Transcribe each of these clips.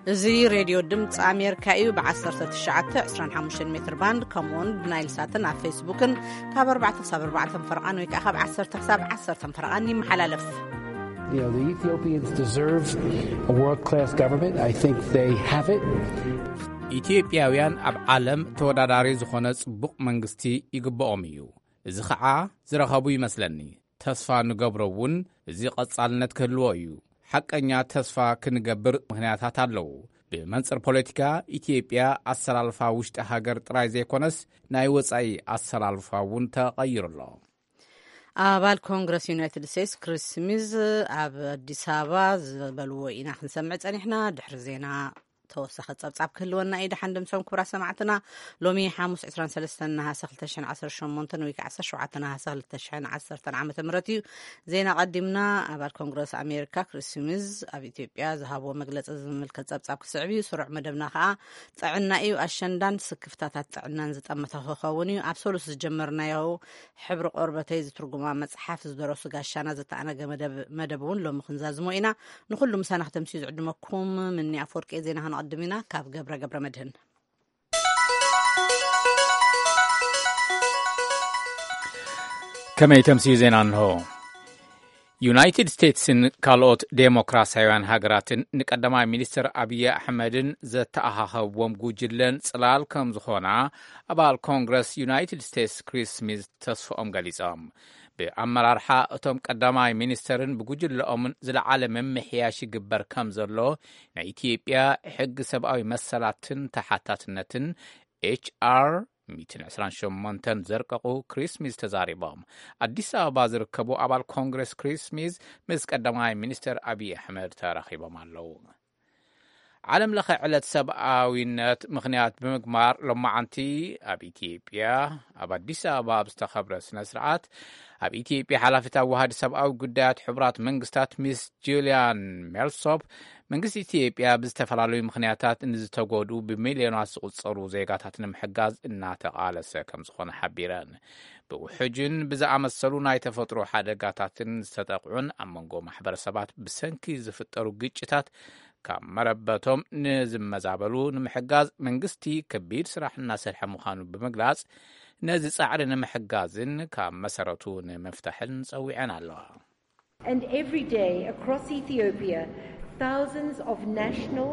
እዚ ሬድዮ ድምፂ ኣሜሪካ እዩ። ብ19፣ 25 ሜትር ባንድ፣ ከምኡውን ብናይል ሳትን ኣብ ፌስቡክን ካብ ኣርባዕተ ክሳብ ኣርባዕተ ፈረቓን ወይ ከዓ ካብ ዓሰርተ ክሳብ ዓሰርተ ፈረቓን ይመሓላለፍ። You know, the Ethiopians deserve a world-class government. I think they have it. ኢትዮጵያውያን ኣብ ዓለም ተወዳዳሪ ዝኾነ ጽቡቕ መንግስቲ ይግብኦም እዩ። እዚ ኸዓ ዝረኸቡ ይመስለኒ። ተስፋ ንገብሮ እውን እዚ ቐጻልነት ክህልዎ እዩ። ሓቀኛ ተስፋ ክንገብር ምኽንያታት ኣለዉ። ብመንጽር ፖለቲካ ኢትዮጵያ ኣሰላልፋ ውሽጢ ሃገር ጥራይ ዘይኮነስ ናይ ወጻኢ ኣሰላልፋ እውን ተቐይሩ ኣሎ። ኣባል ኮንግረስ ዩናይትድ ስቴትስ ክሪስ ስሚዝ ኣብ ኣዲስ ኣበባ ዝበልዎ ኢና ክንሰምዕ ጸኒሕና። ድሕሪ ዜና ተወሳኺ ጸብጻብ ክህልወና እዩ። ደሓን ድምሶም ክቡራት ሰማዕትና፣ ሎሚ ሓሙስ 23 ነሃሰ 2018 ወይ ከዓ 17 ነሃሰ 2010 ዓመተ ምህረት እዩ። ዜና ቀዲምና። ኣባል ኮንግረስ ኣሜሪካ ክሪስ ስሚዝ ኣብ ኢትዮጵያ ዝሃብዎ መግለጺ ዝምልከት ጸብጻብ ክስዕብ እዩ። ስሩዕ መደብና ከዓ ጥዕና እዩ። ኣሸንዳን ስክፍታታት ጥዕናን ዝጠመተ ክኸውን እዩ። ኣብ ሰሉስ ዝጀመርናዮ ሕብሪ ቆርበተይ ዝትርጉማ መጽሓፍ ዝደረሱ ጋሻና ዘተኣነገ መደብ እውን ሎሚ ክንዛዝሞ ኢና። ንኹሉ ምሳና ክተምስዩ ዝዕድመኩም ምኒ ኣፈወርቂ። ዜና ክንቐድም ኢና ካብ ገብረ ገብረ መድህን። ከመይ ተምስዩ ዜና እንሆ። ዩናይትድ ስቴትስን ካልኦት ዴሞክራሲያውያን ሃገራትን ንቀዳማይ ሚኒስትር ኣብይ ኣሕመድን ዘተኣኻኸብዎም ጉጅለን ጽላል ከም ዝኾና ኣባል ኮንግረስ ዩናይትድ ስቴትስ ክሪስ ስሚዝ ተስፍኦም ገሊጾም። ብኣመራርሓ እቶም ቀዳማይ ሚኒስተርን ብጉጅለኦምን ዝለዓለ ምምሕያሽ ይግበር ከም ዘሎ ናይ ኢትዮጵያ ሕጊ ሰብኣዊ መሰላትን ተሓታትነትን ኤች ኣር ሚእትን ዕስራን ሸሞንተን ዘርቀቑ ክሪስ ስሚዝ ተዛሪቦም። ኣዲስ ኣበባ ዝርከቡ ኣባል ኮንግረስ ክሪስ ስሚዝ ምስ ቀዳማይ ሚኒስተር ኣብይ ኣሕመድ ተራኺቦም ኣለዉ። ዓለም ለኸ ዕለት ሰብኣዊነት ምኽንያት ብምግባር ሎማዓንቲ ኣብ ኢትዮጵያ ኣብ ኣዲስ ኣበባ ኣብ ዝተኸብረ ስነ ስርዓት ኣብ ኢትዮጵያ ሓላፊት ኣዋሃዲ ሰብኣዊ ጉዳያት ሕቡራት መንግስታት ሚስ ጁልያን ሜልሶፕ መንግስቲ ኢትዮጵያ ብዝተፈላለዩ ምኽንያታት ንዝተጎድኡ ብሚልዮናት ዝቑጸሩ ዜጋታት ንምሕጋዝ እናተቓለሰ ከም ዝኾነ ሓቢረን። ብውሕጅን ብዝኣመሰሉ ናይ ተፈጥሮ ሓደጋታትን ዝተጠቕዑን ኣብ መንጎ ማሕበረሰባት ብሰንኪ ዝፍጠሩ ግጭታት ካብ መረበቶም ንዝመዛበሉ ንምሕጋዝ መንግስቲ ከቢድ ስራሕ እናሰርሐ ምዃኑ ብምግላጽ ነዚ ጻዕሪ ንምሕጋዝን ካብ መሰረቱ ንምፍታሕን ጸዊዐን ኣለዋ። And every day across Ethiopia, thousands of national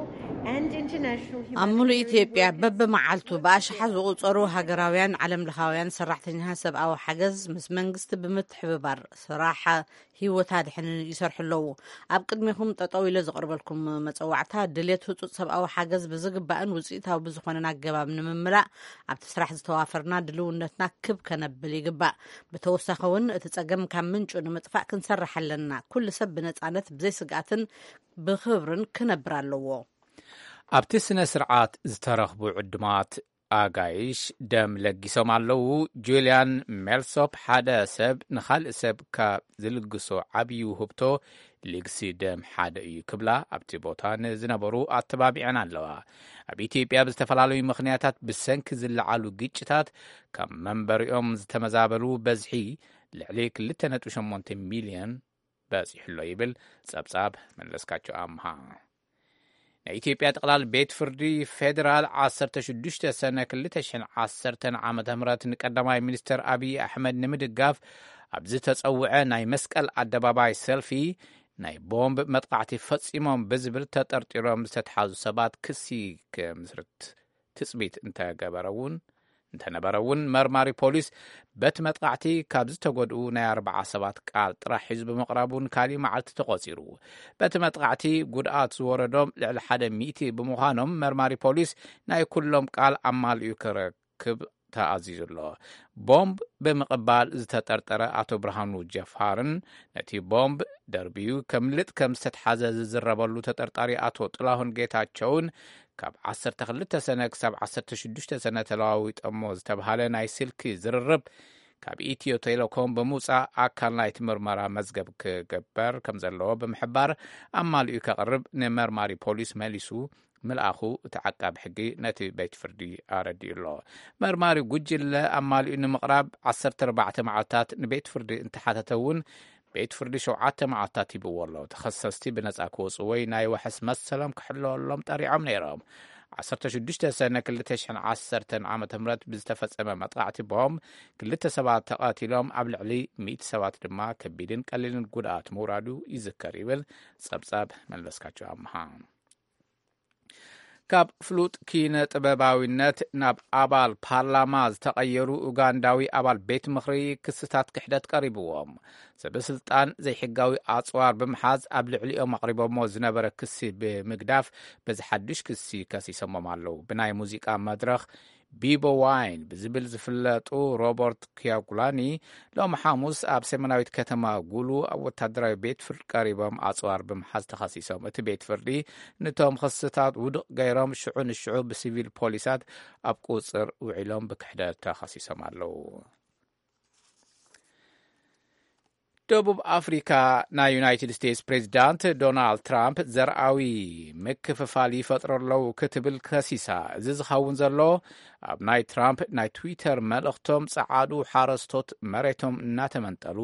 and international ኣብ ሙሉእ ኢትዮጵያ በብመዓልቱ ብኣሽሓት ዝቑጸሩ ሃገራውያን ዓለም ለኻውያን ሰራሕተኛታት ሰብኣዊ ሓገዝ ምስ መንግስቲ ብምትሕብባር ስራሕ ህይወት ኣድሕንን ይሰርሑ ኣለዉ። ኣብ ቅድሚኹም ጠጠው ኢለ ዘቕርበልኩም መጸዋዕታ ድሌት ህጹጽ ሰብኣዊ ሓገዝ ብዝግባእን ውጽኢታዊ ብዝኾነን ኣገባብ ንምምላእ ኣብቲ ስራሕ ዝተዋፈርና ድልውነትና ክብ ከነብል ይግባእ። ብተወሳኺ እውን እቲ ጸገም ካብ ምንጩ ንምጥፋእ ክንሰርሕ ኣለና። ኩሉ ሰብ ብነጻነት ብዘይ ስግኣትን ብኽብርን ክነብር ኣለዎ። ኣብቲ ስነ ስርዓት ዝተረኽቡ ዕዱማት ኣጋይሽ ደም ለጊሶም ኣለዉ። ጁልያን ሜልሶፕ ሓደ ሰብ ንኻልእ ሰብ ካብ ዝልግሶ ዓብዪ ውህብቶ ልግሲ ደም ሓደ እዩ ክብላ ኣብቲ ቦታ ንዝነበሩ ኣተባቢዐን ኣለዋ። ኣብ ኢትዮጵያ ብዝተፈላለዩ ምኽንያታት ብሰንኪ ዝለዓሉ ግጭታት ካብ መንበሪኦም ዝተመዛበሉ በዝሒ ልዕሊ ክልተ ነጥቢ ሸሞንተ ሚልዮን በጺሑ ኣሎ ይብል ጸብጻብ መለስካቸው ኣምሃ። ናይ ኢትዮጵያ ጠቕላል ቤት ፍርዲ ፌዴራል ዓሰርተ ሽዱሽተ ሰነ ክልተ ሽሕን ዓሰርተን ዓመተ ምህረት ንቀዳማይ ሚኒስተር ኣብይ ኣሕመድ ንምድጋፍ ኣብ ዝተጸውዐ ናይ መስቀል ኣደባባይ ሰልፊ ናይ ቦምብ መጥቃዕቲ ፈጺሞም ብዝብል ተጠርጢሮም ዝተትሓዙ ሰባት ክሲ ክምስርት ትጽቢት እንተገበረ እውን እንተነበረ እውን መርማሪ ፖሊስ በቲ መጥቃዕቲ ካብ ዝተጎድኡ ናይ ኣርባዓ ሰባት ቃል ጥራሕ ሒዙ ብምቕራቡ ንካሊእ መዓልቲ ተቖጺሩ። በቲ መጥቃዕቲ ጉድኣት ዝወረዶም ልዕሊ ሓደ ሚእቲ ብምዃኖም መርማሪ ፖሊስ ናይ ኩሎም ቃል ኣማሊኡ ክረክብ ተኣዚዙ ኣሎ። ቦምብ ብምቕባል ዝተጠርጠረ ኣቶ ብርሃኑ ጀፋርን ነቲ ቦምብ ደርብዩ ከምልጥ ከም ዝተትሓዘ ዝዝረበሉ ተጠርጣሪ ኣቶ ጥላሁን ጌታቸውን ካብ ዓሰርተ ክልተ ሰነ ክሳብ ዓሰርተ ሽዱሽተ ሰነ ተለዋዊጦሞ ዝተብሃለ ናይ ስልኪ ዝርርብ ካብ ኢትዮ ቴሌኮም ብምውጻእ ኣካል ናይቲ ምርመራ መዝገብ ክግበር ከም ዘለዎ ብምሕባር ኣማሊኡ ከቕርብ ንመርማሪ ፖሊስ መሊሱ ምልኣኹ እቲ ዓቃቢ ሕጊ ነቲ ቤት ፍርዲ ኣረዲኡ ኣሎ። መርማሪ ጉጅለ ኣማሊኡ ንምቕራብ ዓሰርተ ኣርባዕተ መዓልታት ንቤት ፍርዲ እንተሓተተ እውን ቤት ፍርዲ ሸውዓተ መዓልታት ሂብዎ ኣሎ። ተኸሰስቲ ብነጻ ክወጹ ወይ ናይ ዋሕስ መሰሎም ክሕለወሎም ጠሪዖም ነይሮም። ዓሰርተ ሽዱሽተ ሰነ ክልተ ሽሕን ዓሰርተን ዓመተ ምህረት ብዝተፈጸመ መጥቃዕቲ ቦምብ ክልተ ሰባት ተቐቲሎም፣ ኣብ ልዕሊ ሚእቲ ሰባት ድማ ከቢድን ቀሊልን ጉድኣት ምውራዱ ይዝከር ይብል ጸብጻብ መለስካቸው ኣምሃ። ካብ ፍሉጥ ኪነ ጥበባዊነት ናብ ኣባል ፓርላማ ዝተቐየሩ ኡጋንዳዊ ኣባል ቤት ምኽሪ ክስታት ክሕደት ቀሪብዎም። ሰበ ስልጣን ዘይሕጋዊ ኣጽዋር ብምሓዝ ኣብ ልዕሊኦም ኣቕሪቦሞ ዝነበረ ክሲ ብምግዳፍ በዚ ሓዱሽ ክሲ ከሲሶሞም ኣለዉ። ብናይ ሙዚቃ መድረኽ ቢቦ ዋይን ብዝብል ዝፍለጡ ሮበርት ኪያጉላኒ ሎም ሓሙስ ኣብ ሰሜናዊት ከተማ ጉሉ ኣብ ወታደራዊ ቤት ፍርዲ ቀሪቦም ኣጽዋር ብምሓዝ ተኸሲሶም። እቲ ቤት ፍርዲ ንቶም ክስታት ውድቕ ገይሮም ሽዑ ንሽዑ ብሲቪል ፖሊሳት ኣብ ቁጽር ውዒሎም ብክሕደት ተኸሲሶም ኣለዉ። ደቡብ ኣፍሪካ ናይ ዩናይትድ ስቴትስ ፕሬዚዳንት ዶናልድ ትራምፕ ዘርኣዊ ምክፍፋል ይፈጥሩ ኣለዉ ክትብል ከሲሳ። እዚ ዝኸውን ዘሎ ኣብ ናይ ትራምፕ ናይ ትዊተር መልእኽቶም ጸዓዱ ሓረስቶት መሬቶም እናተመንጠሉ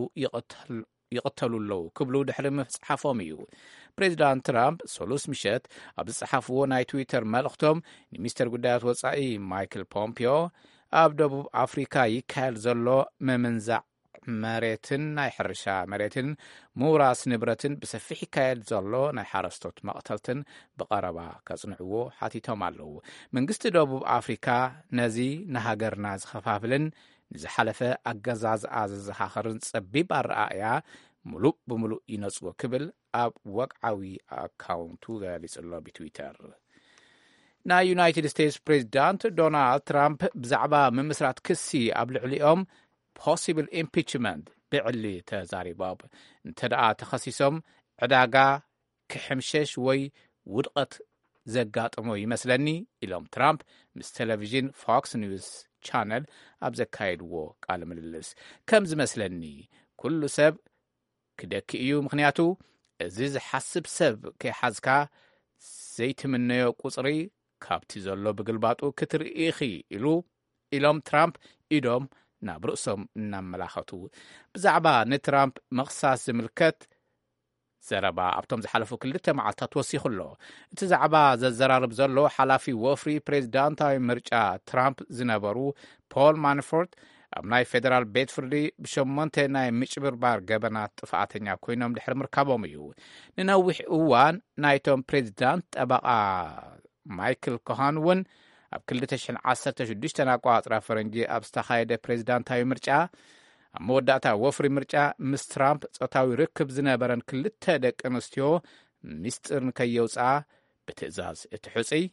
ይቕተሉ ኣለዉ ክብሉ ድሕሪ ምጽሓፎም እዩ። ፕሬዚዳንት ትራምፕ ሰሉስ ምሸት ኣብ ዝጸሓፍዎ ናይ ትዊተር መልእኽቶም ንሚኒስተር ጉዳያት ወጻኢ ማይክል ፖምፒዮ ኣብ ደቡብ ኣፍሪካ ይካየድ ዘሎ ምምንዛዕ መሬትን ናይ ሕርሻ መሬትን ምውራስ ንብረትን ብሰፊሕ ይካየድ ዘሎ ናይ ሓረስቶት መቕተልትን ብቐረባ ከጽንዕዎ ሓቲቶም ኣለዉ። መንግስቲ ደቡብ ኣፍሪካ ነዚ ንሃገርና ዝኸፋፍልን ንዝሓለፈ ኣገዛዝኣ ዘዘኻኽርን ጸቢብ ኣረኣእያ ምሉእ ብምሉእ ይነጽጎ ክብል ኣብ ወግዓዊ ኣካውንቱ ገሊጹ ኣሎ ብትዊተር። ናይ ዩናይትድ ስቴትስ ፕሬዚዳንት ዶናልድ ትራምፕ ብዛዕባ ምምስራት ክሲ ኣብ ልዕሊኦም ፖሲብል ኢምፒችመንት ብዕሊ ተዛሪቦም። እንተ ደኣ ተኸሲሶም ዕዳጋ ክሕምሸሽ ወይ ውድቐት ዘጋጥሞ ይመስለኒ ኢሎም ትራምፕ ምስ ቴሌቪዥን ፎክስ ኒውስ ቻነል ኣብ ዘካየድዎ ቃለ ምልልስ። ከም ዝመስለኒ ኩሉ ሰብ ክደኪ እዩ፣ ምኽንያቱ እዚ ዝሓስብ ሰብ ከይሓዝካ ዘይትምነዮ ቁጽሪ ካብቲ ዘሎ ብግልባጡ ክትርኢ ኢኺ ኢሉ ኢሎም ትራምፕ ኢዶም ናብ ርእሶም እናመላኸቱ። ብዛዕባ ንትራምፕ ምኽሳስ ዝምልከት ዘረባ ኣብቶም ዝሓለፉ ክልተ መዓልታት ወሲኹ ኣሎ። እቲ ዛዕባ ዘዘራርብ ዘሎ ሓላፊ ወፍሪ ፕሬዚዳንታዊ ምርጫ ትራምፕ ዝነበሩ ፖል ማንፎርት ኣብ ናይ ፌደራል ቤት ፍርዲ ብሸሞንተ ናይ ምጭብርባር ገበናት ጥፍኣተኛ ኮይኖም ድሕሪ ምርካቦም እዩ። ንነዊሕ እዋን ናይቶም ፕሬዚዳንት ጠበቓ ማይክል ኮሃን እውን ኣብ ክልተ ሽሕን ዓሰርተ ሽዱሽተን ኣቋጽራ ፈረንጂ ኣብ ዝተኻየደ ፕሬዚዳንታዊ ምርጫ ኣብ መወዳእታ ወፍሪ ምርጫ ምስ ትራምፕ ጾታዊ ርክብ ዝነበረን ክልተ ደቂ ኣንስትዮ ምስጢር ንከየውፅኣ ብትእዛዝ እቲ ሕፁይ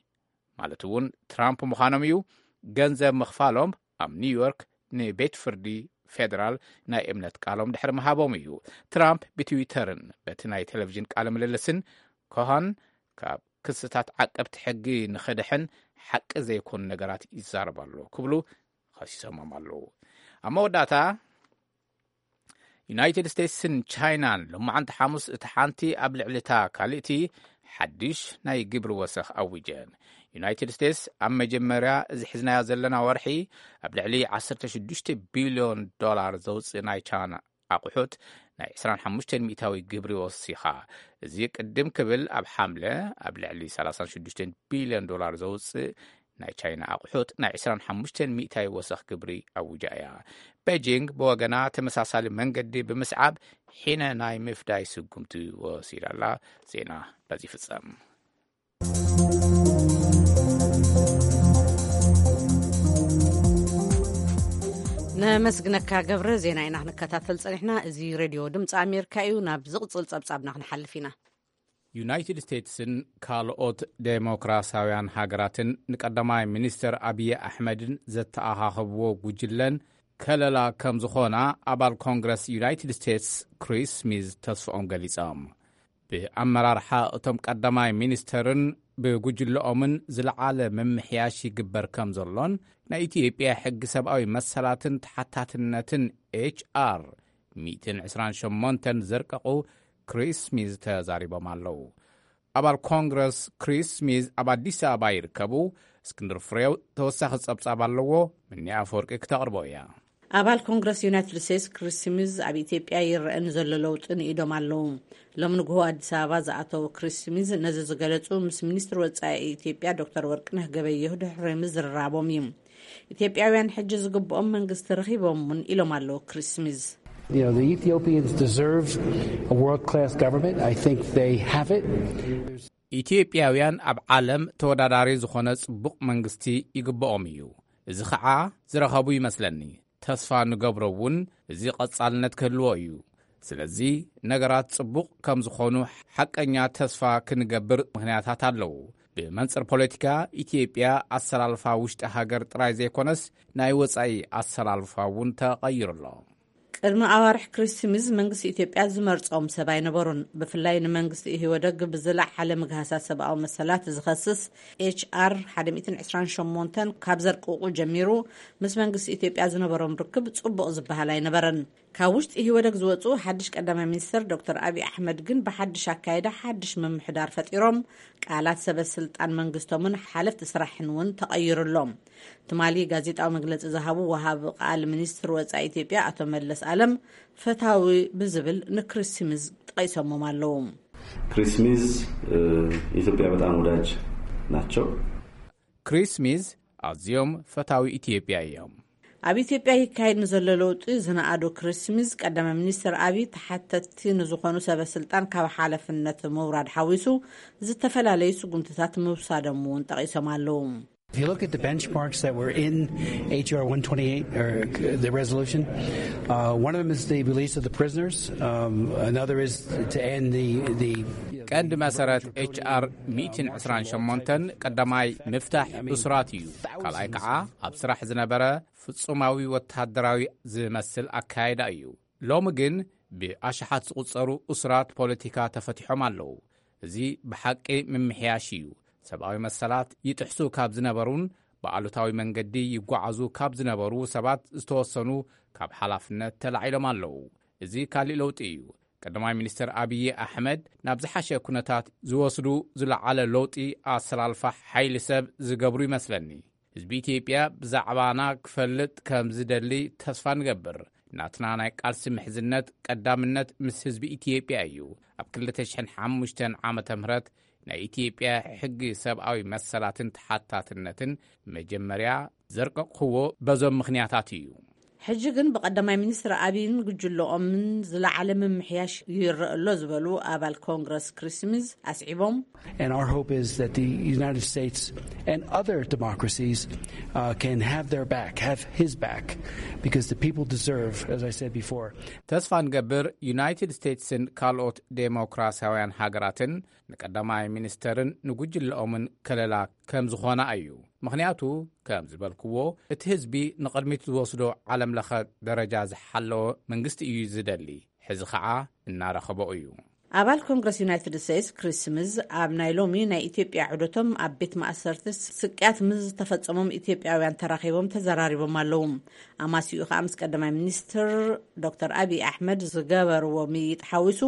ማለት እውን ትራምፕ ምዃኖም እዩ ገንዘብ ምኽፋሎም ኣብ ኒውዮርክ ንቤት ፍርዲ ፌደራል ናይ እምነት ቃሎም ድሕሪ ምሃቦም እዩ። ትራምፕ ብትዊተርን በቲ ናይ ቴሌቪዥን ቃለ ምልልስን ኮሃን ካብ ክስታት ዓቀብቲ ሕጊ ንኽድሕን ሓቂ ዘይኮኑ ነገራት ይዛረብ ኣሎ ክብሉ ኸሲሶሞም ኣለዉ። ኣብ መወዳእታ ዩናይትድ ስቴትስን ቻይናን ሎማዓንቲ ሓሙስ እቲ ሓንቲ ኣብ ልዕሊ እታ ካልእቲ ሓድሽ ናይ ግብሪ ወሰኽ ኣዊጀን። ዩናይትድ ስቴትስ ኣብ መጀመርያ እዚ ሒዝናዮ ዘለና ወርሒ ኣብ ልዕሊ ዓሰርተ ሽዱሽተ ቢልዮን ዶላር ዘውፅእ ናይ ቻይና ኣቑሑት ናይ ዕስራን ሓሙሽተን ሚእታዊ ግብሪ ወሲኻ። እዚ ቅድም ክብል ኣብ ሓምለ ኣብ ልዕሊ ሰላሳን ሽዱሽተን ቢልዮን ዶላር ዘውፅእ ናይ ቻይና ኣቑሑት ናይ ዕስራን ሓሙሽተን ሚእታዊ ወሰኽ ግብሪ ኣውጃ እያ። ቤጂንግ ብወገና ተመሳሳሊ መንገዲ ብምስዓብ ሒነ ናይ ምፍዳይ ስጉምቲ ወሲዳ ኣላ። ዜና በዚ ይፍጸም። ነመስግነካ ገብረ። ዜና ኢና ክንከታተል ጸኒሕና። እዚ ሬድዮ ድምፂ ኣሜሪካ እዩ። ናብ ዝቕጽል ጸብጻብና ክንሓልፍ ኢና። ዩናይትድ ስቴትስን ካልኦት ዴሞክራሲያውያን ሃገራትን ንቀዳማይ ሚኒስተር ኣብዪ ኣሕመድን ዘተኣኻኸብዎ ጉጅለን ከለላ ከም ዝኾና ኣባል ኮንግረስ ዩናይትድ ስቴትስ ክሪስ ስሚዝ ተስፍኦም ገሊጾም። ብኣመራርሓ እቶም ቀዳማይ ሚኒስተርን ብጉጅለኦምን ዝለዓለ ምምሕያሽ ይግበር ከም ዘሎን ናይ ኢትዮጵያ ሕጊ ሰብኣዊ መሰላትን ተሓታትነትን ኤች ኣር ሚእትን ዕስራን ሸሞንተን ዘርቀቑ ክሪስ ስሚዝ ተዛሪቦም ኣለዉ። ኣባል ኮንግረስ ክሪስ ስሚዝ ኣብ ኣዲስ ኣበባ ይርከቡ። እስክንድር ፍሬው ተወሳኺ ጸብጻብ ኣለዎ፣ ምኒ ኣፈወርቂ ክተቕርቦ እያ። ኣባል ኮንግረስ ዩናይትድ ስቴትስ ክሪስ ስሚዝ ኣብ ኢትዮጵያ ይረአ ንዘሎ ለውጢ ንኢዶም ኣለዉ። ሎም ንግሆ ኣዲስ ኣበባ ዝኣተዉ ክሪስ ስሚዝ ነዚ ዝገለጹ ምስ ሚኒስትር ወጻኢ ኢትዮጵያ ዶክተር ወርቅነህ ገበየሁ ድሕሪ ምዝርራቦም እዩ። ኢትዮጵያውያን ሕጂ ዝግብኦም መንግስቲ ረኺቦም እውን ኢሎም ኣለዉ ክሪስ ስሚዝ። You know, the Ethiopians deserve a world class government. I think they have it. ኢትዮጵያውያን ኣብ ዓለም ተወዳዳሪ ዝኾነ ጽቡቕ መንግስቲ ይግብኦም እዩ። እዚ ኸዓ ዝረኸቡ ይመስለኒ። ተስፋ ንገብሮ እውን እዚ ቐጻልነት ክህልዎ እዩ። ስለዚ ነገራት ጽቡቕ ከም ዝኾኑ ሓቀኛ ተስፋ ክንገብር ምኽንያታት ኣለዉ። ብመንጽር ፖለቲካ ኢትዮጵያ ኣሰላልፋ ውሽጢ ሃገር ጥራይ ዘይኮነስ ናይ ወጻኢ ኣሰላልፋ እውን ተቐይሩ ኣሎ። ቅድሚ ኣዋርሕ ክሪስ ስሚዝ መንግስቲ ኢትዮጵያ ዝመርጾም ሰብ ኣይነበሩን። ብፍላይ ንመንግስቲ ኢህወደግ ብዝለዓለ ምግሃሳት ሰብኣዊ መሰላት ዝኸስስ ኤች ኣር ሓደ ሚእትን ዕስራን ሸሞንተን ካብ ዘርቅቑ ጀሚሩ ምስ መንግስቲ ኢትዮጵያ ዝነበሮም ርክብ ጽቡቕ ዝበሃል ኣይነበረን። ካብ ውሽጢ ኢህወደግ ዝወጹ ሓድሽ ቀዳማይ ሚኒስትር ዶክተር ኣብይ ኣሕመድ ግን ብሓድሽ ኣካይዳ ሓድሽ ምምሕዳር ፈጢሮም ቃላት ሰበ ስልጣን መንግስቶምን ሓለፍቲ ስራሕን እውን ተቐይሩሎም። ትማሊ ጋዜጣዊ መግለጺ ዝሃቡ ወሃቢ ቃል ሚኒስትር ወጻኢ ኢትዮጵያ ኣቶ መለስ ኣለም ፈታዊ ብዝብል ንክሪስ ስሚዝ ጠቒሶሞም ኣለዉ። ክሪስ ስሚዝ ኢትዮጵያ በጣም ወዳጅ ናቸው። ክሪስ ስሚዝ ኣዝዮም ፈታዊ ኢትዮጵያ እዮም። ኣብ ኢትዮጵያ ይካየድ ንዘሎ ለውጢ ዝነኣዱ ክሪስ ስሚዝ ቀዳማይ ሚኒስትር ኣብይ ተሓተትቲ ንዝኾኑ ሰበ ስልጣን ካብ ሓለፍነት ምውራድ ሓዊሱ ዝተፈላለዩ ስጉምትታት ምውሳዶም እውን ጠቒሶም ኣለዉ። If you look at the benchmarks that were in H R one twenty-eight, or the resolution, uh, one of them is the release of the prisoners. Um, another is to end the the. ቀንዲ መሰረት ኤች ኣር ሚእትን ዕስራን ሸሞንተን ቀዳማይ ምፍታሕ እሱራት እዩ። ካልኣይ ከዓ ኣብ ስራሕ ዝነበረ ፍጹማዊ ወተሃደራዊ ዝመስል ኣካያይዳ እዩ። ሎሚ ግን ብኣሽሓት ዝቑጸሩ እሱራት ፖለቲካ ተፈቲሖም ኣለዉ። እዚ ብሓቂ ምምሕያሽ እዩ። ሰብኣዊ መሰላት ይጥሕሱ ካብ ዝነበሩን ብኣሉታዊ መንገዲ ይጓዓዙ ካብ ዝነበሩ ሰባት ዝተወሰኑ ካብ ሓላፍነት ተላዒሎም ኣለዉ። እዚ ካሊእ ለውጢ እዩ። ቀዳማይ ሚኒስትር ኣብዪ ኣሕመድ ናብ ዝሓሸ ኩነታት ዝወስዱ ዝለዓለ ለውጢ ኣሰላልፋ ሓይሊ ሰብ ዝገብሩ ይመስለኒ። ህዝቢ ኢትዮጵያ ብዛዕባና ክፈልጥ ከም ዝደሊ ተስፋ ንገብር። ናትና ናይ ቃልሲ ምሕዝነት ቀዳምነት ምስ ህዝቢ ኢትዮጵያ እዩ። ኣብ ክልተ ሽሕን ሓሙሽተን ዓመተ ምህረት ናይ ኢትዮጵያ ሕጊ ሰብኣዊ መሰላትን ተሓታትነትን መጀመርያ ዘርቀቕኽዎ በዞም ምኽንያታት እዩ። ሕጂ ግን ብቀዳማይ ሚኒስትር ኣብይን ጉጅለኦምን ዝለዓለ ምምሕያሽ ይረአ ኣሎ ዝበሉ ኣባል ኮንግረስ ክሪስ ስሚዝ ኣስዒቦም And our hope is that the United States and other democracies uh, can have their back, have his back, because the people deserve, as I said before. ተስፋ ንገብር ዩናይትድ ስቴትስን ካልኦት ዴሞክራሲያውያን ሃገራትን ንቀዳማይ ሚኒስተርን ንጉጅለኦምን ከለላ ከም ዝኾና እዩ። ምኽንያቱ ከም ዝበልክዎ እቲ ህዝቢ ንቕድሚት ዝወስዶ ዓለም ለኸ ደረጃ ዝሓለወ መንግስቲ እዩ ዝደሊ። ሕዚ ኸዓ እናረኸቦ እዩ። ኣባል ኮንግረስ ዩናይትድ ስቴትስ ክሪስ ስሚዝ ኣብ ናይ ሎሚ ናይ ኢትዮጵያ ዑደቶም ኣብ ቤት ማእሰርቲ ስቅያት ምስ ዝተፈጸሞም ኢትዮጵያውያን ተራኺቦም ተዘራሪቦም ኣለዉ። ኣማሲኡ ከዓ ምስ ቀዳማይ ሚኒስትር ዶክተር ኣብይ ኣሕመድ ዝገበርዎ ምይይጥ ሓዊሱ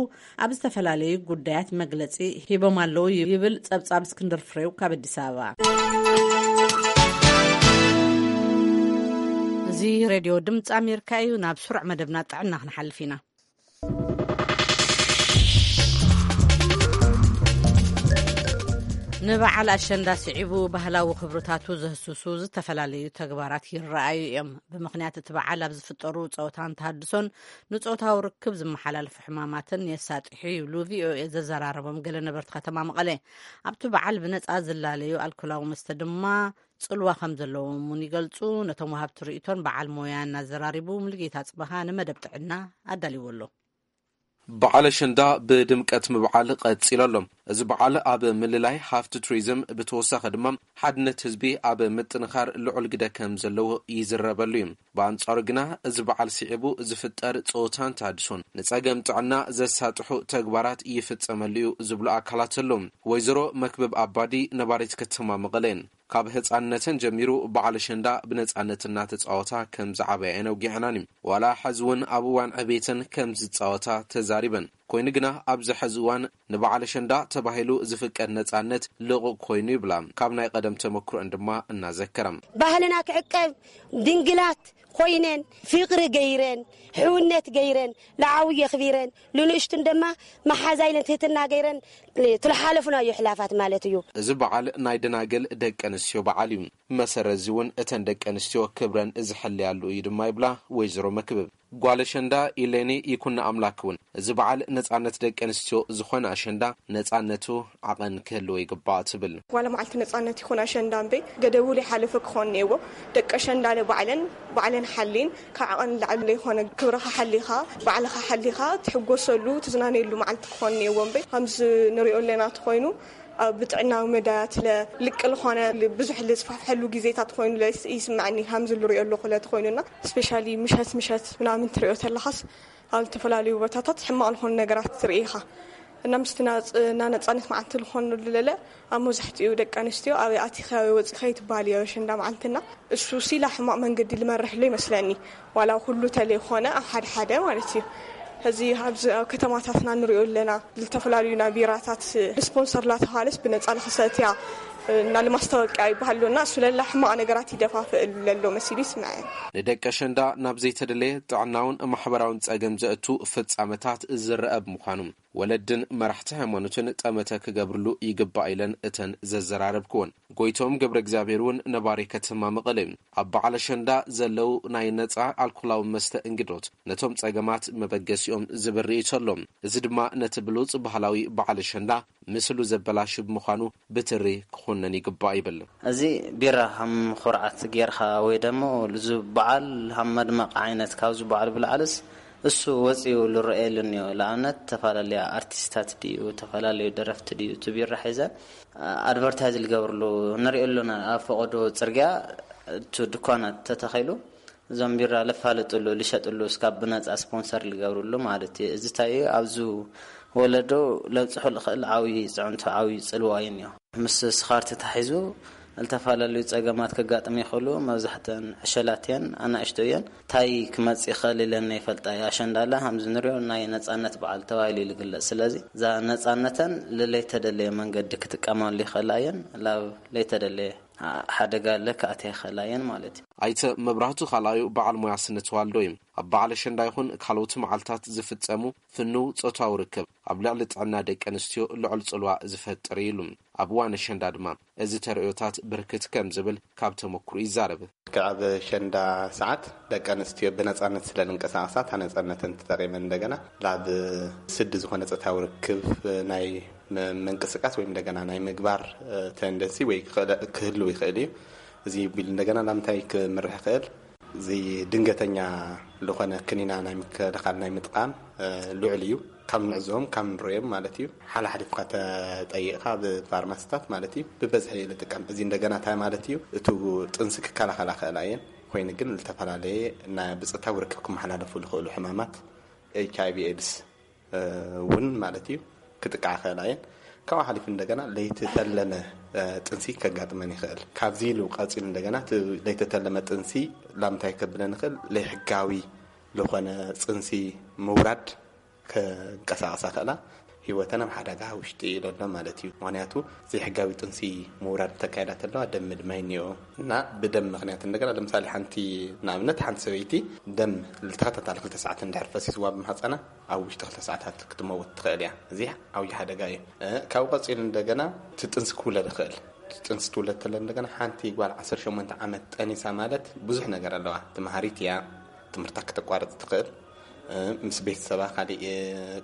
ኣብ ዝተፈላለዩ ጉዳያት መግለጺ ሂቦም ኣለዉ ይብል ጸብጻብ እስክንድር ፍሬው ካብ ኣዲስ ኣበባ። እዚ ሬድዮ ድምፂ ኣሜሪካ እዩ። ናብ ስሩዕ መደብና ጥዕና ክንሓልፍ ኢና። ንበዓል ኣሸንዳ ስዒቡ ባህላዊ ክብርታቱ ዘህስሱ ዝተፈላለዩ ተግባራት ይረኣዩ እዮም። ብምኽንያት እቲ በዓል ኣብ ዝፍጠሩ ጸወታን ተሃድሶን ንጾታዊ ርክብ ዝመሓላለፉ ሕማማትን የሳጥሑ ይብሉ ቪኦኤ ዘዘራረቦም ገለ ነበርቲ ከተማ መቐለ። ኣብቲ በዓል ብነጻ ዝላለዩ ኣልኮላዊ መስተ ድማ ጽልዋ ከም ዘለዎም እውን ይገልጹ። ነቶም ወሃብቲ ርእይቶን በዓል ሞያ እናዘራሪቡ ሙሉጌታ ጽበኻ ንመደብ ጥዕና ኣዳልዎ ኣሎ። በዓል ኣሸንዳ ብድምቀት ምብዓል ቀጺሉ ኣሎ። እዚ በዓል ኣብ ምልላይ ሃፍቲ ቱሪዝም ብተወሳኺ ድማ ሓድነት ህዝቢ ኣብ ምጥንኻር ልዑል ግደ ከም ዘለዎ ይዝረበሉ እዩ። ብኣንጻሩ ግና እዚ በዓል ስዒቡ ዝፍጠር ጸወታን ተሃድሶን ንጸገም ጥዕና ዘሳጥሑ ተግባራት ይፍጸመሉ እዩ ዝብሉ ኣካላት ኣለዉ። ወይዘሮ መክብብ ኣባዲ ነባሪት ከተማ መቐለ እየን። ካብ ህጻንነተን ጀሚሩ በዓል ኣሸንዳ ብነጻነት እናተጻወታ ከም ዝዓበያ እየን ኣውጊዐናኒ። ዋላ ሕዚ እውን ኣብ እዋን ዕቤተን ከም ዝጻወታ ተዛሪበን። ኮይኑ ግና ኣብዚ ሕዚ እዋን ንበዓል ኣሸንዳ ተባሂሉ ዝፍቀድ ነጻነት ልቑቕ ኮይኑ ይብላ፣ ካብ ናይ ቀደም ተመክሮን ድማ እናዘከራ። ባህልና ክዕቀብ፣ ድንግላት ኮይነን፣ ፍቕሪ ገይረን፣ ሕውነት ገይረን፣ ንዓብዪ ኣኽቢረን፣ ንንእሽቱን ድማ መሓዛ ኢለን ትህትና ገይረን ትልሓለፉናዮ ሕላፋት ማለት እዩ። እዚ በዓል ናይ ደናግል ደቂ ኣንስትዮ በዓል እዩ። መሰረት እዚ እውን እተን ደቂ ኣንስትዮ ክብረን ዝሕለያሉ እዩ ድማ ይብላ ወይዘሮ መክብብ። ጓል ኣሸንዳ ኢሌኒ ይኩን ኣምላክ እውን፣ እዚ በዓል ነጻነት ደቂ ኣንስትዮ ዝኾነ ኣሸንዳ ነጻነቱ ዓቐን ክህልዎ ይግባእ ትብል። ዋላ መዓልቲ ነጻነት ይኹን ኣሸንዳ እምበይ ገደቡ ዘይሓለፈ ክኾን እኒአዎ። ደቂ ኣሸንዳ ባዕለን ባዕለን ሓሊን ካብ ዓቐን ንላዕሊ ዘይኮነ ክብርኻ ሓሊኻ ባዕልኻ ሓሊኻ ትሕጎሰሉ ትዝናነየሉ መዓልቲ ክኾን እኒአዎ እምበይ ከምዚ ንሪኦ ኣለና ተኾይኑ ኣብ ብጥዕናዊ መዳያት ለ ልቅ ዝኾነ ብዙሕ ዝስፋሕፈሐሉ ግዜታት ኮይኑ ለ ይስምዐኒ። ከምዚ ዝሪኦ ኣለኹ ለ ተኾይኑና ስፔሻሊ ምሸት ምሸት ምናምን ትሪኦ ተለኻስ ኣብ ዝተፈላለዩ ቦታታት ሕማቕ ዝኾኑ ነገራት ትርኢ ኢኻ እና ምስቲ ናጽ- እና ነጻነት መዓልቲ ዝኾኑ ለለ ኣብ መብዛሕትኡ ደቂ ኣንስትዮ ኣበይ ኣቲኸ ኣበይ ወፂኸ ይትበሃል እዮ ኣሸንዳ መዓልትና እሱ ሲላ ሕማቕ መንገዲ ልመርሕ ሎ ይመስለኒ ዋላ ኩሉ ተለይኮነ ኣብ ሓደ ሓደ ማለት እዩ እዚ ኣብዚ ኣብ ከተማታትና ንሪኦ ኣለና ዝተፈላለዩ ናይ ቢራታት ስፖንሰር ላተባሃለስ ብነፃ ልክሰትያ እና ልማስታወቂያ ይበሃል ሎና እሱ ለላ ሕማቕ ነገራት ይደፋፍእ ለሎ መሲሉ ይስምዐ ንደቂ ኣሸንዳ ናብ ዘይተደለየ ጥዕናውን ማሕበራውን ጸገም ዘእቱ ፍጻመታት ዝረአ ብምዃኑ ወለድን መራሕቲ ሃይማኖትን ጠመተ ክገብርሉ ይግባእ ኢለን እተን ዘዘራረብክወን። ጎይቶም ገብረ እግዚኣብሔር እውን ነባሪ ከተማ መቐለ እዩ። ኣብ በዓል ኣሸንዳ ዘለዉ ናይ ነፃ ኣልኮላዊ መስተ እንግዶት ነቶም ጸገማት መበገሲኦም ዝብል ርእይቶ ኣሎ። እዚ ድማ ነቲ ብሉጽ ባህላዊ በዓል ኣሸንዳ ምስሉ ዘበላሹ ብምዃኑ ብትሪ ክኹነን ይግባእ ይብል። እዚ ቢራ ሃም ኩርዓት ጌርካ ወይ ደሞ እዚ በዓል ሃም መድመቕ ዓይነት ካብዚ በዓል ብላዕልስ እሱ ወፂኡ ልረኤሉ እኒኦ። ንኣብነት ተፈላለያ ኣርቲስታት ድዩ ተፈላለዩ ደረፍቲ ድዩ እቲ ቢራ ሒዘ ኣድቨርታይዝ ልገብርሉ ንሪኦ ኣሎና። ኣብ ፈቐዶ ፅርግያ እቲ ድኳናት ተተኺሉ እዞም ቢራ ልፋለጥሉ ልሸጥሉ እስካብ ብነፃ ስፖንሰር ልገብርሉ ማለት እዩ። እዚ እንታይ እዩ ኣብዚ ወለዶ ለብፅሑ ልኽእል ዓብዪ ፅዕንቶ ዓብዪ ፅልዋ እዩ እኒኦ። ምስ ስኻር ተታሒዙ ዝተፈላለዩ ፀገማት ከጋጥም ይኽእሉ። መብዛሕተን ዕሸላት እየን፣ ኣናእሽቶ እየን። ታይ ክመፅእ ይኽእል ኢለን ይፈልጣ እየ። ኣሸንዳ ለ ከምዚ ንሪኦ ናይ ነፃነት በዓል ተባሂሉ እዩ ዝግለፅ። ስለዚ እዛ ነፃነተን ልለይተደለየ መንገዲ ክጥቀማሉ ይኽእላ እየን። ላብ ለይተደለየ ሓደጋ ለ ክኣትያ ይኽእላ እየን ማለት እዩ። ኣይተ መብራህቱ ካልኣዩ በዓል ሞያ ስነ ተዋልዶ እዩ። ኣብ በዓል ኣሸንዳ ይኹን ካልኦት መዓልታት ዝፍፀሙ ፍኑው ፆታዊ ርክብ ኣብ ልዕሊ ጥዕና ደቂ ኣንስትዮ ልዑል ፅልዋ ዝፈጥር እዩ ኢሉ። ኣብ እዋን ኣሸንዳ ድማ እዚ ተርእዮታት ብርክት ከም ዝብል ካብ ተመክሩ ይዛረብ። ኣብ ኣሸንዳ ሰዓት ደቂ ኣንስትዮ ብነፃነት ስለ ዝንቀሳቐሳ እታ ነፃነተን ተጠቒመን እንደገና ናብ ስዲ ዝኾነ ፆታዊ ርክብ ናይ ምንቅስቃስ ወይ እንደገና ናይ ምግባር ተንደንሲ ወይ ክህልው ይኽእል እዩ። እዚ ቢሉ እንደገና ናብ እንታይ ክምርሕ ይኽእል? እዚ ድንገተኛ ዝኾነ ክኒና ናይ ምክልኻል ናይ ምጥቃም ልዑል እዩ። ካብ ንዕዞም ካብ ንርእዮም ማለት እዩ። ሓላሓሊፍካ ተጠይቕካ ብፋርማሲታት ማለት እዩ ብበዝሒ ንጥቀም። እዚ እንደገና እንታይ ማለት እዩ? እቱ ጥንሲ ክከላኸላ ክእላ እየን። ኮይኑ ግን ዝተፈላለየ ብፅታዊ ርክብ ክመሓላለፉ ዝኽእሉ ሕማማት ኤች ኣይ ቪ ኤድስ እውን ማለት እዩ ክጥቃዓ ክእላ እየን። ካብኡ ሓሊፉ እንደገና ለይተተለመ ጥንሲ ከጋጥመን ይኽእል። ካብዚ ኢሉ ቀፂሉ እንደገና ለይተተለመ ጥንሲ ላምታይ ከብለን ይኽእል ለይሕጋዊ ዝኾነ ፅንሲ ምውራድ ከንቀሳቐሳ ክእላ ህይወተን ኣብ ሓደጋ ውሽጢ ኢሎ ኣሎ ማለት እዩ። ምክንያቱ ዘይሕጋዊ ጥንሲ ምውራድ ተካይዳ ተለዋ ደም ምድማይ እኒኦ እና ብደም ምክንያት እንደገና ለምሳሌ ሓንቲ ንኣብነት ሓንቲ ሰበይቲ ደም ልተኸታታሊ ክልተ ሰዓት እንድሕር ፈሲስዋ ብማህፀና ኣብ ውሽጢ ክልተ ሰዓታት ክትመውት ትኽእል እያ። እዚ ዓብዪ ሓደጋ እዩ። ካብኡ ቀፂሉ እንደገና እቲ ጥንሲ ክውለድ ይኽእል። እቲ ጥንሲ ትውለድ ተለ እንደገና ሓንቲ ጓል ዓሰርተ ሸሞንተ ዓመት ጠኒሳ ማለት ብዙሕ ነገር ኣለዋ። ትምሃሪት እያ፣ ትምህርታ ክተቋርፅ ትኽእል፣ ምስ ቤተሰባ ካሊእ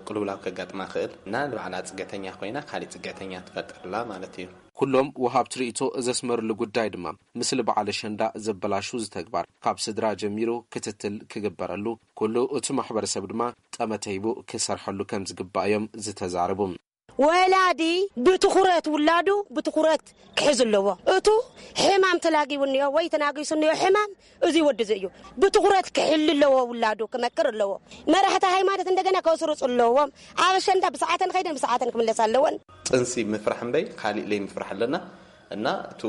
ቅልውላው ከጋጥማ ክእል እና ንባዕላ ፅገተኛ ኮይና ካሊእ ፅገተኛ ትፈጥርላ ማለት እዩ። ኩሎም ወሃብቲ ርእይቶ ዘስመርሉ ጉዳይ ድማ፣ ምስሊ በዓል ኣሸንዳ ዘበላሹ እዚ ተግባር ካብ ስድራ ጀሚሩ ክትትል ክግበረሉ፣ ኩሉ እቲ ማሕበረሰብ ድማ ጠመተ ሂቡ ክሰርሐሉ ከም ዝግባእ እዮም ዝተዛረቡ። ወላዲ ብትኹረት ውላዱ ብትኹረት ክሕዝ ኣለዎ። እቱ ሕማም ተላጊቡ እኒኦ ወይ ተናጊሱ እኒኦ ሕማም እዚ ወዲ እዚ እዩ። ብትኹረት ክሕል ኣለዎ ውላዱ ክመክር ኣለዎ። መራሕቲ ሃይማኖት እንደገና ከስርፁ ኣለዎም። ኣብ ኣሸንዳ ብሰዓተን ከይደን ብሰዓተን ክምለስ ኣለወን። ጥንሲ ምፍራሕ እምበይ ካሊእ ለይ ምፍራሕ ኣለና እና እቱ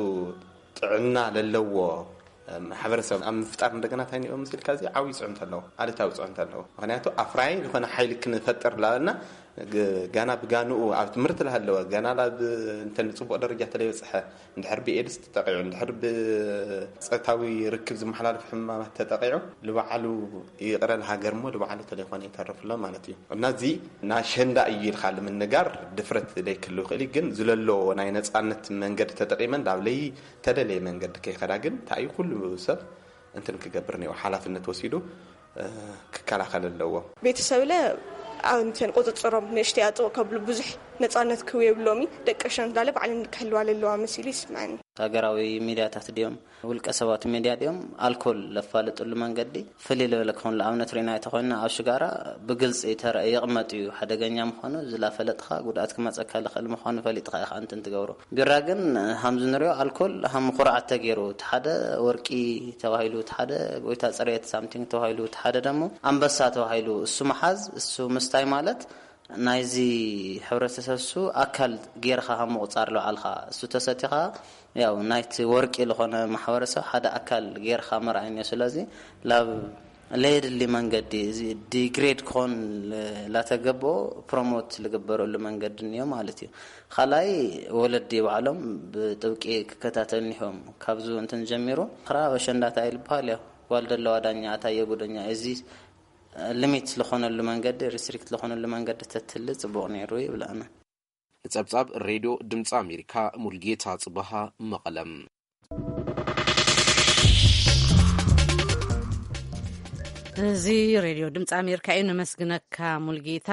ጥዕና ለለዎ ማሕበረሰብ ኣብ ምፍጣር እንደገና እንታይ ንኦ ምስልካ እዚ ዓብዪ ፅዕንቶ ኣለዎ፣ ኣሉታዊ ፅዕንቶ ኣለዎ። ምክንያቱ ኣፍራይ ዝኾነ ሓይሊ ክንፈጥር ላበልና ግ- ጋና ብጋንኡ ኣብ ትምህርቲ ላሃለወ፣ ጋና ናብ እንተ ንጽቡቕ ደረጃ ተለይበጽሐ፣ እንድሕር ብኤድስ ተጠቂዑ፣ እንድሕር ብጸታዊ ርክብ ዝመሓላለፍ ሕማማት ተጠቂዑ፣ ልባዕሉ ይቕረ ለሃገር እሞ ልባዕሉ ተለይኮነ ይተርፍሎ ማለት እዩ። እና እዚ ናሸንዳ እዩ ኢልካ ልምንጋር ድፍረት ደይክልው ይኽእል እዩ። ግን ዝለሎ ናይ ነጻነት መንገዲ ተጠቂመን ዳብለይ ተደለየ መንገዲ ከይኸዳ ግን እንታይ እዩ ኩሉ ሰብ እንትን ክገብር ነይሩ ሓላፍነት ወሲዱ ክከላኸል ኣለዎ። ቤተሰብለ ኣንተን ቁፅፅሮም ንእሽተይ ኣጥቕ ከብሉ ብዙሕ ነፃነት ክህቡ የብሎሚ። ደቂ ሸንዳለ ባዕለን ክሕልዋ ለለዋ መሲሉ ይስምዐኒ። ሃገራዊ ሚድያታት ድዮም ውልቀ ሰባት ሚድያ ድዮም ኣልኮል ለፋልጥሉ መንገዲ ፍልይ ዝበለ ክኾን ንኣብነት ሪና ተኮይና ኣብ ሽጋራ ብግልፂ ተረ ይቕመጥ እዩ ሓደገኛ ምዃኑ ዝላፈለጥኻ ጉድኣት ክመፀካ ልኽእል ምዃኑ ፈሊጥኻ ኢኻ እንትን ትገብሮ። ቢራ ግን ሃም ዝንሪኦ ኣልኮል ሃም ኩርዓት ተገይሩ እቲ ሓደ ወርቂ ተባሂሉ እቲ ሓደ ጎይታ ፅሬት ሳምቲንግ ተባሂሉ እቲ ሓደ ደሞ ኣንበሳ ተባሂሉ እሱ መሓዝ እሱ ምስታይ ማለት ናይዚ ሕብረተሰብ እሱ ኣካል ጌርካ ካብ ምቁፃር ልባዕልካ እሱ ተሰቲኻ ያው ናይቲ ወርቂ ዝኾነ ማሕበረሰብ ሓደ ኣካል ጌርካ መርኣይ እኒኦ ስለዚ ላብ ለየድሊ መንገዲ እዚ ዲግሬድ ክኾን ላተገብኦ ፕሮሞት ልግበረሉ መንገዲ እኒኦ ማለት እዩ። ካልኣይ ወለዲ ባዕሎም ብጥብቂ ክከታተል ኒሆም ካብዚ እንትን ጀሚሩ ክራ በሸንዳታ ይልበሃል ያ ጓል ደለዋ ዳኛ ኣታ የጉደኛ እዚ ሊሚት ዝኾነሉ መንገዲ ሪስትሪክት ዝኾነሉ መንገዲ ተትህሊ ፅቡቕ ነይሩ ይብለኣና። ንጸብጻብ ሬድዮ ድምፂ ኣሜሪካ ሙልጌታ ጽበሃ መቐለም። እዚ ሬድዮ ድምፂ ኣሜሪካ እዩ። ነመስግነካ ሙልጌታ።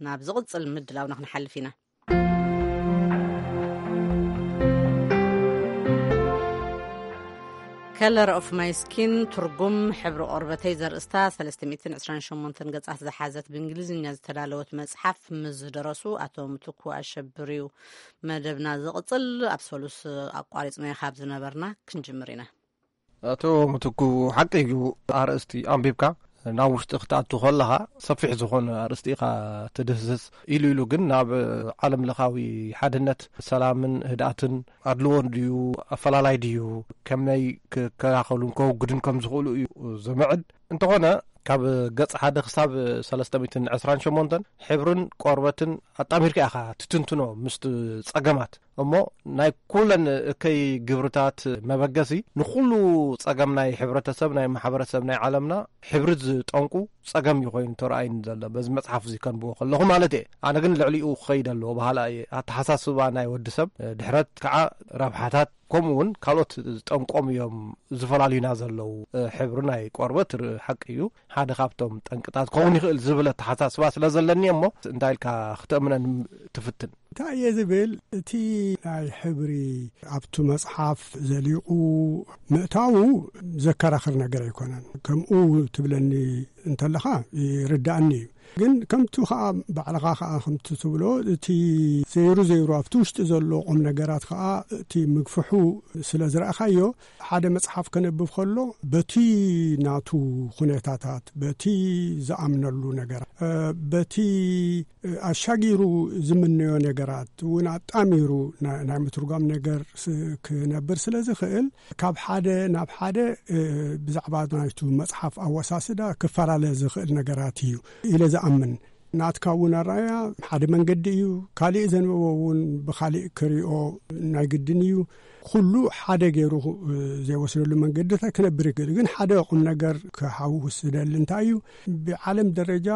ናብ ዝቕፅል ምድላውና ክንሓልፍ ኢና። Color of My Skin ትርጉም ሕብሪ ቆርበተይ ዘርእስታ ሰለስተ ሚእትን ዕስራን ሸሞንተን ገጻት ዝሓዘት ብእንግሊዝኛ ዝተዳለወት መጽሓፍ ምስ ዝደረሱ ኣቶ ምትኩ ኣሸብር እዩ መደብና ዝቕጽል። ኣብ ሰሉስ ኣቋሪጽናዮ ካብ ዝነበርና ክንጅምር ኢና። ኣቶ ምትኩ፣ ሓቂ እዩ፣ ኣርእስቲ ኣንቢብካ ናብ ውሽጢ ክትኣቱ ከለኻ ሰፊሕ ዝኾነ ኣርእስቲ ኢኻ ትድህስስ። ኢሉ ኢሉ ግን ናብ ዓለም ለኻዊ ሓድነት፣ ሰላምን ህድኣትን ኣድልዎ ድዩ ኣፈላላይ ድዩ፣ ከመይ ክከላኸሉን ከውግዱን ከም ዝኽእሉ እዩ ዝምዕድ። እንተኾነ ካብ ገጽ ሓደ ክሳብ ሰለስተ ሚእትን ዕስራን ሸሞንተን ሕብርን ቆርበትን ኣጣሚርካ ኢኻ ትትንትኖ ምስቲ ጸገማት። እሞ ናይ ኩለን እከይ ግብርታት መበገሲ ንኹሉ ጸገም ናይ ሕብረተሰብ፣ ናይ ማሕበረሰብ፣ ናይ ዓለምና ሕብሪ ዝጠንቁ ጸገም እዩ ኮይኑ ተረኣይኒ ዘሎ በዚ መጽሓፍ እዚ ከንብቦ ከለኹ ማለት እየ። ኣነ ግን ልዕሊኡ ክኸይድ ኣለዎ በሃላ እየ። ኣተሓሳስባ ናይ ወዲ ሰብ ድሕረት ከዓ ረብሓታት ከምኡ እውን ካልኦት ዝጠንቆም እዮም ዝፈላልዩና ዘለዉ። ሕብሪ ናይ ቆርበት ር- ሓቂ እዩ ሓደ ካብቶም ጠንቅታት ክኸውን ይኽእል ዝብል ኣተሓሳስባ ስለ ዘለኒ እሞ እንታይ ኢልካ ክተእምነን ትፍትን። እንታይ እየ ዝብል፣ እቲ ናይ ሕብሪ ኣብቱ መጽሓፍ ዘሊቑ ምእታዉ ዘከራኽር ነገር ኣይኮነን። ከምኡ ትብለኒ እንተለኻ ይርዳእኒ እዩ። ግን ከምቲ ኸዓ ባዕልኻ ኸዓ ከምቲ ትብሎ እቲ ዘይሩ ዘይሩ ኣብቲ ውሽጢ ዘሎ ቁም ነገራት ኸዓ እቲ ምግፍሑ ስለ ዝረእኻዮ ሓደ መጽሓፍ ከነብብ ከሎ በቲ ናቱ ኩነታታት በቲ ዝኣምነሉ ነገር በቲ ኣሻጊሩ ዝምነዮ ነገራት እውን ኣጣሚሩ ናይ ምትርጓም ነገር ክነብር ስለ ዝኽእል ካብ ሓደ ናብ ሓደ ብዛዕባ ናይቱ መፅሓፍ ኣወሳስዳ ክፈላለ ዝኽእል ነገራት እዩ ኢለ ዝኣምን። ናትካ እውን ኣረኣያ ሓደ መንገዲ እዩ። ካሊእ ዘንበቦ እውን ብካሊእ ክሪኦ ናይ ግድን እዩ። ኩሉ ሓደ ገይሩ ዘይወስደሉ መንገድታት ክነብር ይኽእል። ግን ሓደ ቁም ነገር ክሓውስ ዝደሊ እንታይ እዩ፣ ብዓለም ደረጃ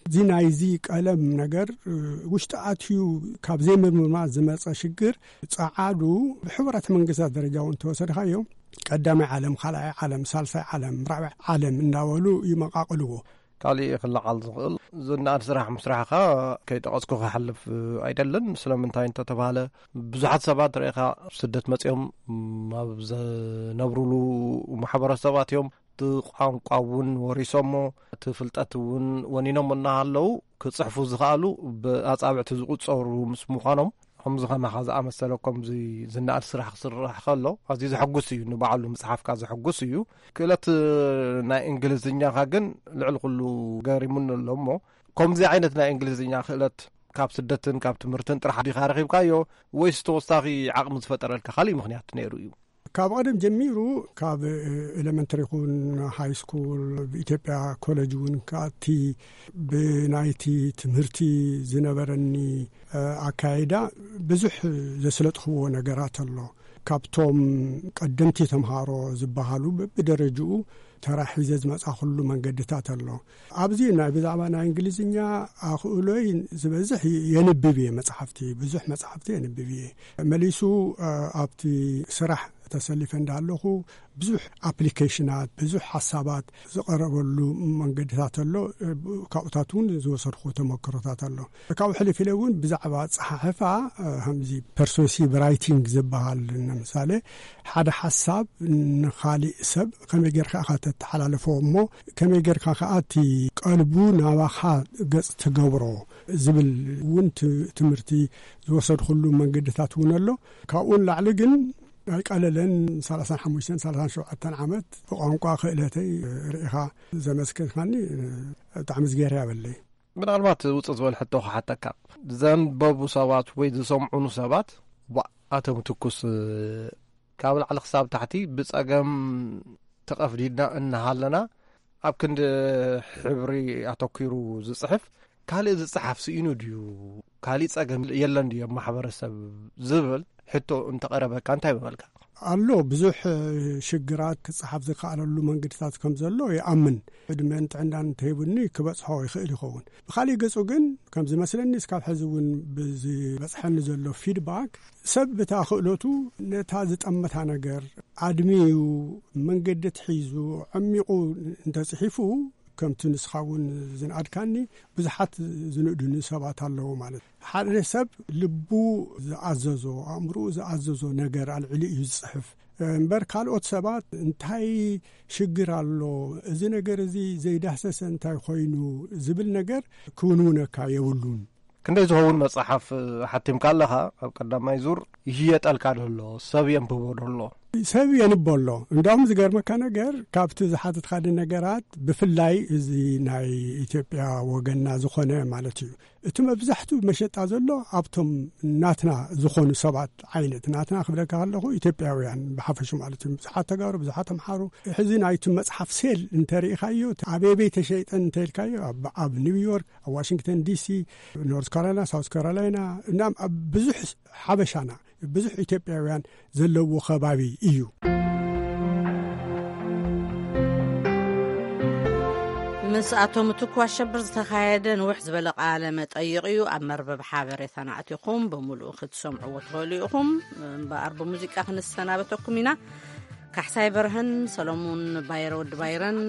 እዚ ናይዚ ቀለም ነገር ውሽጢ ኣትዩ ካብ ዘይምርምርና ዝመፀ ሽግር ጸዓዱ ብሕቡራት መንግስታት ደረጃ እውን ተወሰድካዮ ቀዳማይ ዓለም፣ ካልኣይ ዓለም፣ ሳልሳይ ዓለም፣ ራብዓይ ዓለም እንዳበሉ ይመቃቅልዎ። ካሊእ ክለዓል ዝኽእል ዝነኣድ ስራሕ ምስራሕኻ ከይጠቐስኩ ክሓልፍ ኣይደልን። ስለምንታይ እንተተባህለ ብዙሓት ሰባት ርኢኻ ስደት መፂኦም ኣብ ዘነብሩሉ ማሕበረሰባት እዮም። እቲ ቋንቋ እውን ወሪሶሞ እቲ ፍልጠት እውን ወኒኖም እናሃለዉ ክፅሕፉ ዝኽኣሉ ብኣፃብዕቲ ዝቁፀሩ ምስ ምዃኖም ከምዚ ከማኻ ዝኣመሰለ ከምዚ ዝነኣድ ስራሕ ክስራሕ ከሎ ኣዝዩ ዘሐጉስ እዩ። ንባዕሉ ምፅሓፍካ ዘሐጉስ እዩ። ክእለት ናይ እንግሊዝኛኻ ግን ልዕሊ ኩሉ ገሪሙኒ ኣሎ እሞ ከምዚ ዓይነት ናይ እንግሊዝኛ ክእለት ካብ ስደትን ካብ ትምህርትን ጥራሕ ዲኻ ረኺብካዮ ወይስ ተወሳኺ ዓቕሚ ዝፈጠረልካ ካሊእ ምኽንያት ነይሩ እዩ? ካብ ቀደም ጀሚሩ፣ ካብ ኤሌመንተሪ ይኹን ሃይ ስኩል፣ ብኢትዮጵያ ኮሌጅ እውን ክኣቲ፣ ብናይቲ ትምህርቲ ዝነበረኒ ኣካይዳ ብዙሕ ዘስለጥኽዎ ነገራት ኣሎ። ካብቶም ቀደምቲ ተምሃሮ ዝበሃሉ፣ ብደረጅኡ ተራ ሒዘ ዝመጻኹሉ መንገድታት ኣሎ። ኣብዚ ናይ ብዛዕባ ናይ እንግሊዝኛ ኣኽእሎይ ዝበዝሕ የንብብ እየ መጽሓፍቲ፣ ብዙሕ መጽሓፍቲ የንብብ እየ። መሊሱ ኣብቲ ስራሕ ተሰሊፈ እንዳለኹ ብዙሕ ኣፕሊኬሽናት፣ ብዙሕ ሓሳባት ዝቐረበሉ መንገድታት ኣሎ። ካብኡታት እውን ዝወሰድኩ ተመክሮታት ኣሎ። ካብኡ ሕልፍ ኢለ እውን ብዛዕባ ኣጸሓሕፋ፣ ከምዚ ፐርሱሲቭ ራይቲንግ ዝበሃል፣ ንምሳሌ ሓደ ሓሳብ ንኻሊእ ሰብ ከመይ ጌርካ ኢኻ ተተሓላልፎ፣ እሞ ከመይ ጌርካ ከኣ እቲ ቀልቡ ናባኻ ገጽ ትገብሮ ዝብል እውን ት-፣ ትምህርቲ ዝወሰድኩሉ መንገድታት እውን ኣሎ። ካብኡ ንላዕሊ ግን ኣይቀለለን። ሰላሳን ሓሙሽተን ሰላሳን ሸውዓተን ዓመት ብቋንቋ ክእለተይ ርኢኻ ዘመስገንካኒ ብጣዕሚ ዝገርያ በለይ። ምናልባት ውፅእ ዝበለ ሕቶ ክሓተካ፣ ዘንበቡ ሰባት ወይ ዝሰምዑኑ ሰባት፣ ዋ፣ ኣቶም ትኩስ፣ ካብ ላዕሊ ክሳብ ታሕቲ ብፀገም ተቐፍዲድና እናሃለና፣ ኣብ ክንዲ ሕብሪ ኣተኲሩ ዝፅሕፍ ካልእ ዝፅሓፍ ስኢኑ ድዩ? ካሊእ ጸገም የለን ድዩ ኣብ ማሕበረሰብ ዝብል ሕቶ እንተቐረበካ እንታይ ምበልካ? ኣሎ፣ ብዙሕ ሽግራት ክጸሓፍ ዝከኣለሉ መንገድታት ከም ዘሎ ይኣምን። ዕድመን ጥዕናን እንተሂቡኒ ክበጽሖ ይኽእል ይኸውን። ብኻሊእ ገጹ ግን ከም ዝመስለኒ እስካብ ሕዚ እውን ብዝበጽሐኒ ዘሎ ፊድባክ፣ ሰብ ብታ ክእለቱ ነታ ዝጠመታ ነገር ኣድሚዩ፣ መንገዲ ትሒዙ፣ ዓሚቑ እንተጽሒፉ፣ ከምቲ ንስኻ እውን ዝንኣድካኒ፣ ብዙሓት ዝንእዱኒ ሰባት ኣለዉ ማለት። ሓደ ሰብ ልቡ ዝኣዘዞ፣ ኣእምሮኡ ዝኣዘዞ ነገር ኣልዒሉ እዩ ዝጽሕፍ። እምበር ካልኦት ሰባት እንታይ ሽግር ኣሎ፣ እዚ ነገር እዚ ዘይዳህሰሰ እንታይ ኮይኑ ዝብል ነገር ክውንውነካ የብሉን። ክንደይ ዝኸውን መጽሓፍ ሓቲምካ ኣለኻ? ኣብ ቀዳማይ ዙር ይሽየጠልካ ደሎ፣ ሰብ የንብቦ ደሎ። ሰብ የንቦ ኣሎ። እንዳውም ዝገርመካ ነገር፣ ካብቲ ዝሓተትካኒ ነገራት፣ ብፍላይ እዚ ናይ ኢትዮጵያ ወገንና ዝኾነ ማለት እዩ፣ እቲ መብዛሕትኡ መሸጣ ዘሎ ኣብቶም ናትና ዝኾኑ ሰባት ዓይነት፣ ናትና ክብለካ ከለኹ ኢትዮጵያውያን ብሓፈሹ ማለት እዩ። ብዙሓት ተጋሩ፣ ብዙሓት ኣምሓሩ። ሕዚ ናይቲ መጽሓፍ ሴል እንተሪኢኻዮ፣ ኣበበይ ተሸይጠን እንተኢልካዮ፣ ኣብ፣ ኣብ ኒውዮርክ፣ ኣብ ዋሽንግተን ዲሲ፣ ኖርዝ ካሮላይና፣ ሳውዝ ካሮላይና፣ እናም ኣብ ብዙሕ ሓበሻና፣ ብዙሕ ኢትዮጵያውያን ዘለዎ ከባቢ እዩ። ምስ ኣቶ ምትኩ ኣሸብር ዝተኻየደ ንውሕ ዝበለ ቃለ መጠይቕ እዩ። ኣብ መርበብ ሓበሬታና ኣቲኹም ብምሉኡ ክትሰምዕዎ ትኽእሉ ኢኹም። እምበኣር ብሙዚቃ ክንሰናበተኩም ኢና። ካሕሳይ በርሀን ሰሎሙን ባይረ፣ ወዲ ባይረን፣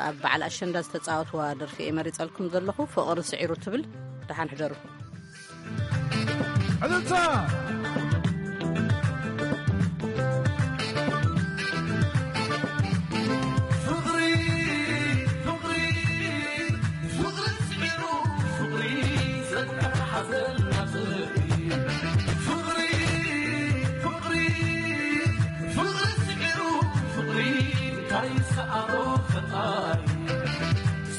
ኣብ በዓል ኣሸንዳ ዝተጻወትዋ ደርፊ እየ መሪጸልኩም ዘለኹ፣ ፍቕሪ ስዒሩ ትብል። ደሓን ሕደሩ። ዕልልታ! ፍቕሪ፣ ፍቕሪ፣ ፍቕሪ ስዒሩ፣ ፍቕሪ ዘተሓዘልና ፍቕሪ። ፍቕሪ፣ ፍቕሪ፣ ፍቕሪ ስዒሩ፣ ፍቕሪ እንታይ ሰኣሮ ፈጣሪ።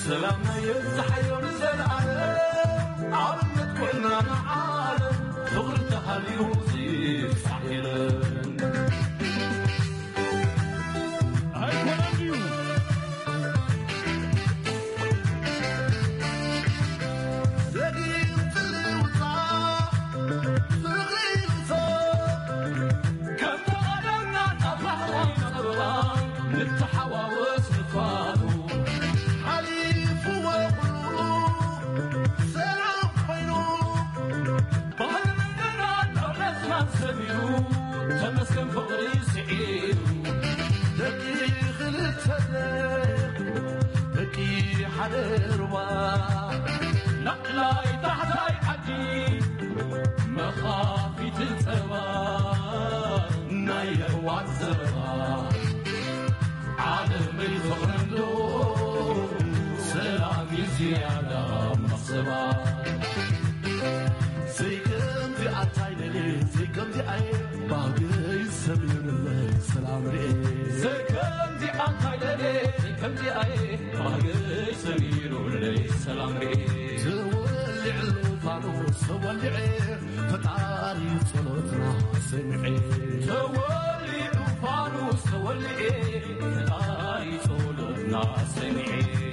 ሰላምና የብዝሓዮ ንዘለኣለም፣ ኣብነት ኮይና ንዓለም፣ ፍቕሪ ተሃልዩ ዝብጻሕ የለን። ኣይኮነን ድዩ? ዘግይም ጽልውታ፣ ፍቕሪ ይውቶ፣ ከም ተቐደምና ናብ ባህላዊ ጸበባ፣ ንተሓዋወስ ንፋቱ። ሓሊፍዎ ኩሉ፣ ሰላም ኮይኑ፣ ባህሊ መንገድና፣ ዶለትና ሰሚሩ፣ ተመስገን ፍቕሪ ስዒሩ። ደቂ ክልተ ደቂ ሓደ ሩባ፣ ላዕላይ ታሕታይ ዓዲ፣ መኻፊት ጸባ፣ ናይ የሕዋት ዘረባ። ዓለመይ ፍቕሪ እንዶ፣ ሰላም እዩ ዝያዳ መኽሰባ። ዘይከምዚ ኣታይ ለለ፣ ዘይከምዚ ኣየ፣ ባህገይ ሰሚርለይ ሰላም ርኤ። ዘይከምዚ ኣታይ ለለ፣ ዘይከምዚ ኣየ፣ ባህገይ ሰሚሩለይ ሰላም ርኤ። ተወሊዕሉ ፋኖስ ተወሊዐ፣ ፈጣሪ ጸሎትና ሰምዐ። ተወሊዑ ፋኖስ ፈጣሪ ጸሎትና ሰምዔ።